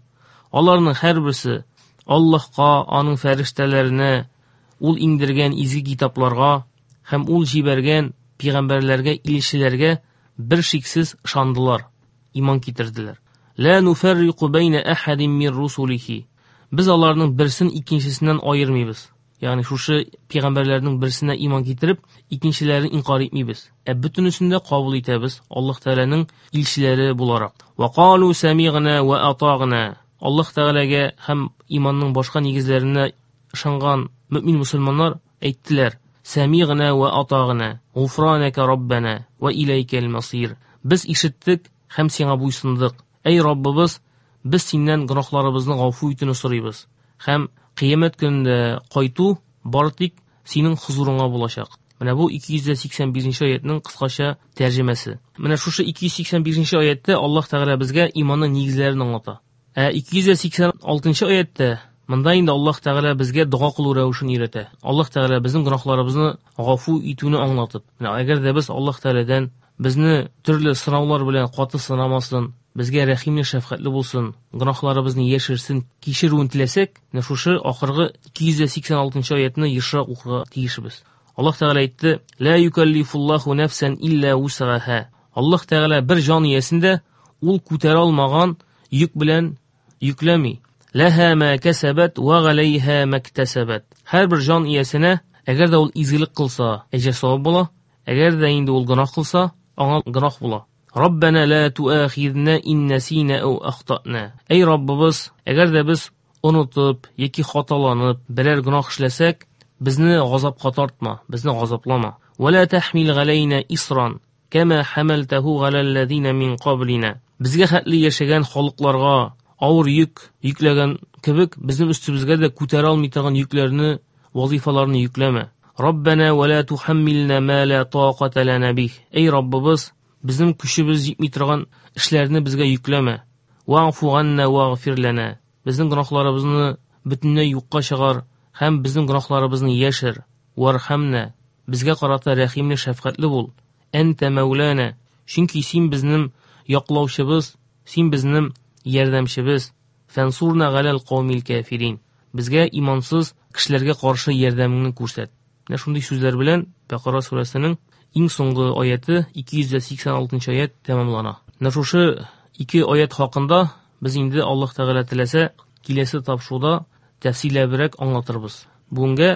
[SPEAKER 5] Аларның һәрберсе Аллаһка, аның фәрештәләренә, ул иңдергән изге китапларга һәм ул җибәргән пәйгамбәрләргә, илчеләргә бер шиксез ышандылар, иман китерделәр. Ла нуфаррику байна ахадин мин русулихи. Без аларның берсен икенчесеннән аермыйбыз. Ягъни шушы пәйгамбәрләрнең берсенә иман китереп, икенчеләрен инкар итмибез. Ә бөтенесен дә кабул итәбез Аллаһ Тәгаләнең илчеләре буларак. Ва калу самигъна ва атагъна. Аллаһ Тәгаләгә һәм иманның башка нигезләренә ышанган мөмин мөселманнар әйттеләр: Самигъна ва атагъна, гуфранака раббана ва илайкал масир. Без ишеттек һәм сиңа буйсындык. Әй Раббыбыз, без синнән гөнаһларыбызны гафу итүне сорыйбыз. Һәм кыямәт көнендә кайту бары тик синең хозурыңа булачак. Менә бу ике йөз сиксән бишенче аятның кыскача тәрҗемәсе. Менә шушы ике йөз сиксән бишенче аятта Аллаһ Тәгалә безгә иманның нигезләрен аңлата. Ә ике йөз сиксән алтынчы аятта монда инде Аллаһ Тәгалә безгә дога кылу рәвешен өйрәтә. Аллаһ Тәгалә безнең гөнаһларыбызны гафу итүне аңлатып. Менә әгәр дә без Аллаһ Тәгаләдән безне төрле сынаулар белән каты сынамасын, безгә рәхимле, шәфкатьле булсын, гөнаһларыбызны яшерсен, кичерүен теләсәк, менә шушы ахыргы ике йөз сиксән алтынчы аятны ешрак укырга тиешбез. Аллаһ Тәгалә әйтте: Ла юкаллифуллаһу нафсан илля вусаха. Аллаһ Тәгалә бер җан иясен дә ул күтәрә алмаган йөк белән йөкләми. Лаһа ма касабат ва галайһа мактасабат. Һәрбер җан иясенә әгәр дә ул изгелек кылса, әҗер савап була, әгәр дә инде ул гөнаһ кылса, аңа гөнаһ була. Раббана ла туахидна ин насина ау ахтана. Әй Раббыбыз, әгәр дә без онытып яки хаталанып берәр гөнаһ эшләсәк, безне газапка тартма, безне газаплама. Ва ла тахмил галайна исран кама хамалтаху галаллазина мин каблина. Безгә хәтле яшәгән халыкларга авыр йөк йөкләгән кебек, безнең өстебезгә дә күтәрә алмый торган йөкләрне, вазифаларны йөкләмә. Раббана ва ла тухаммилна ма ла тақата лана бих. Әй Раббыбыз, безнең көчебез җитми торган эшләрне безгә йөкләмә. Ваъфу ганна вагфир лана. Безнең гөнаһларыбызны бөтенләй юкка чыгар һәм безнең гөнаһларыбызны яшер. Вархамна. Безгә карата рәхимле, шәфкатьле бул. Әнтә мәүлана. Чөнки син безнең яклаучыбыз, син безнең ярдәмчебез. Фансурна галал каумил кафирин. Безгә имансыз кешеләргә каршы ярдәмеңне күрсәт. Менә шундый сүзләр белән Бакара сүрәсенең иң соңгы аяты ике йөз сиксән алтынчы аят тәмамлана. Менә шушы ике аят хакында без инде Аллаһ Тәгалә теләсә киләсе тапшыруда тәфсилләбрәк аңлатырбыз. Бүгенгә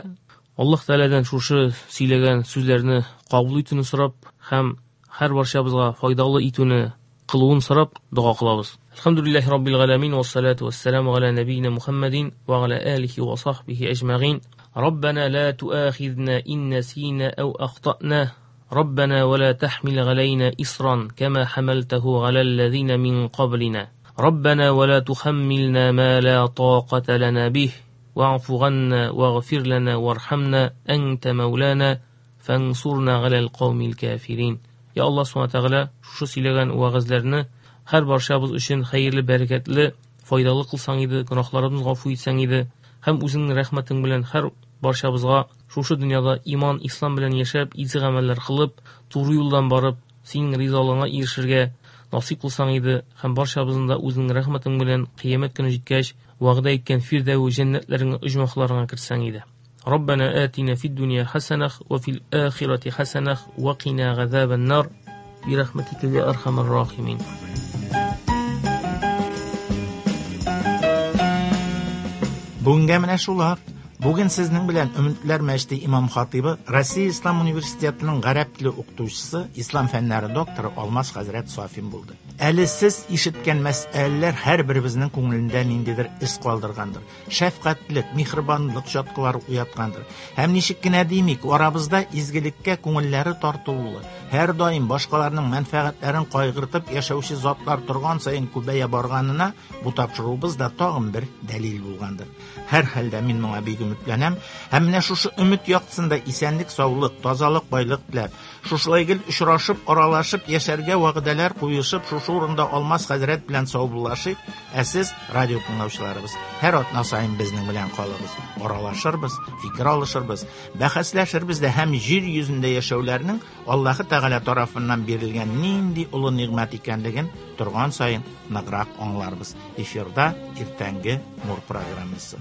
[SPEAKER 5] Аллаһ Тәгаләдән шушы сөйләгән сүзләрне кабул итүне сорап һәм һәр барчабызга файдалы итүне кылуын сорап дога кылабыз. Әлхәмдүлиллаһи раббил галәмин вассалату вассаламу аля набийна Мухаммадин ва аля алихи ва сахбихи әҗмәгин. Раббана ла туахизна ин насина ау ахтана. Раббана ва ла тахмил галайна исран кама хамалтаху галал лазина мин каблина. Раббана ва ла тухаммилна ма ла тақата лана бих. Ваъфу ганна вагфир лана вархамна анта маулана фансурна галал каумил кафирин. Я Аллаһ субхана тәгалә шушы сөйләгән вәгазьләрне һәр барчабыз өчен хәерле, бәрәкәтле, файдалы кылсаң иде, гөнаһларыбызны гафу итсәң иде һәм үзеңнең рәхмәтең белән һәр барчабызга шушы дөньяда иман, ислам белән яшәп, изге гамәлләр кылып, туры юлдан барып, синең ризалыгыңа ирешергә насыйп кылсаң иде һәм барчабызны да үзеңнең рәхмәтең белән кыямәт көне җиткәч, вәгъдә иткән фирдәү җәннәтләреңә, оҗмахларыңа кертсәң иде. ربنا آتنا في الدنيا حسنة وفي الآخرة حسنة وقنا عذاب النار برحمتك يا أرحم الراحمين.
[SPEAKER 4] Бүгенгә менә шулар. Бүген сезнең белән Өметләр мәчете имам хатибы, Россия Ислам университетының гарәп теле укытучысы, ислам фәннәре докторы Алмаз хәзрәт Сафин булды. Әле сез ишеткән мәсьәләләр һәрберебезнең күңелендә ниндидер эз калдыргандыр. Шәфкатьлек, миһербанлык чаткылары уяткандыр. Һәм ничек кенә димик, арабызда изгелеккә күңелләре тартылулы, һәр даим башкаларның мәнфәгатьләрен кайгыртып яшәүче затлар торган саен күбәя барганына бу тапшыруыбыз да тагын бер дәлил булгандыр. Һәр хәлдә мин моңа бик өметләнәм һәм менә шушы өмет яктысында исәнлек, саулык, тазалык, байлык теләп, шушылай гел очрашып, аралашып яшәргә вәгъдәләр куешып, шушы урында Алмаз хәзрәт белән саубуллашыйк. Ә сез, радио тыңлаучыларыбыз, һәр атна саен безнең белән калыгыз. Аралашырбыз, фикер алышырбыз, бәхәсләшербез дә һәм җир йөзендә яшәүләрнең Аллаһы Тәгалә тарафыннан бирелгән нинди олы нигъмәт икәнлеген торган саен ныграк аңларбыз. Эфирда иртәнге Нур программасы.